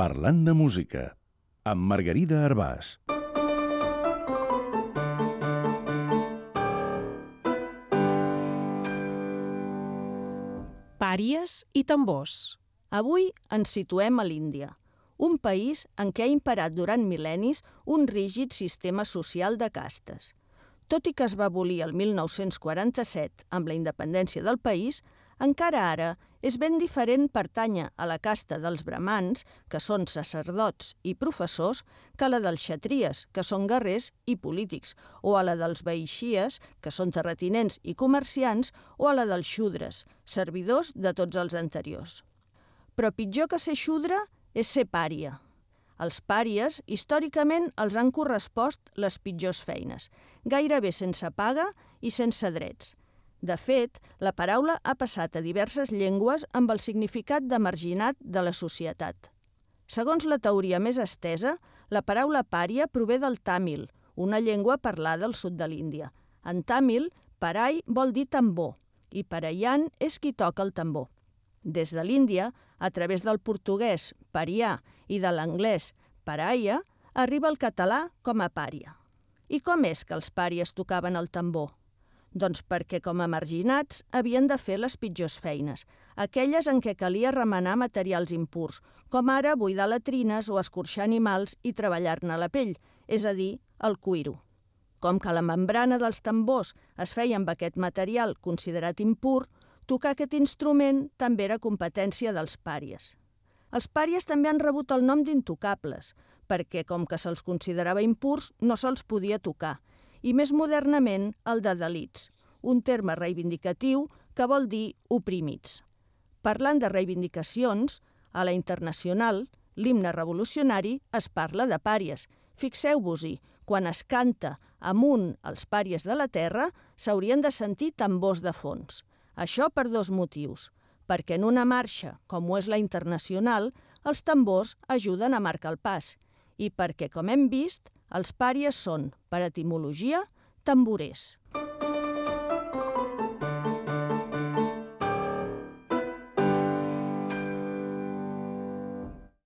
Parlant de música, amb Margarida Arbàs. Pàries i tambors. Avui ens situem a l'Índia, un país en què ha imperat durant mil·lennis un rígid sistema social de castes. Tot i que es va abolir el 1947 amb la independència del país, encara ara és ben diferent pertànyer a la casta dels bramans, que són sacerdots i professors, que a la dels xatries, que són guerrers i polítics, o a la dels vaixíes, que són terratinents i comerciants, o a la dels xudres, servidors de tots els anteriors. Però pitjor que ser xudre és ser pària. Els pàries, històricament, els han correspost les pitjors feines, gairebé sense paga i sense drets. De fet, la paraula ha passat a diverses llengües amb el significat de marginat de la societat. Segons la teoria més estesa, la paraula pària prové del tàmil, una llengua parlada al sud de l'Índia. En tàmil, parai vol dir tambor, i parayan és qui toca el tambor. Des de l'Índia, a través del portuguès parià i de l'anglès paraia, arriba el català com a pària. I com és que els pàries tocaven el tambor? Doncs perquè com a marginats havien de fer les pitjors feines, aquelles en què calia remenar materials impurs, com ara buidar latrines o escorxar animals i treballar-ne la pell, és a dir, el cuiro. Com que la membrana dels tambors es feia amb aquest material considerat impur, tocar aquest instrument també era competència dels pàries. Els pàries també han rebut el nom d'intocables, perquè com que se'ls considerava impurs no se'ls podia tocar, i més modernament el de dalits, un terme reivindicatiu que vol dir oprimits. Parlant de reivindicacions, a la internacional, l'himne revolucionari es parla de pàries. Fixeu-vos-hi, quan es canta amunt els pàries de la terra, s'haurien de sentir tambors de fons. Això per dos motius, perquè en una marxa, com ho és la internacional, els tambors ajuden a marcar el pas, i perquè, com hem vist, els pàries són, per etimologia, tamborers.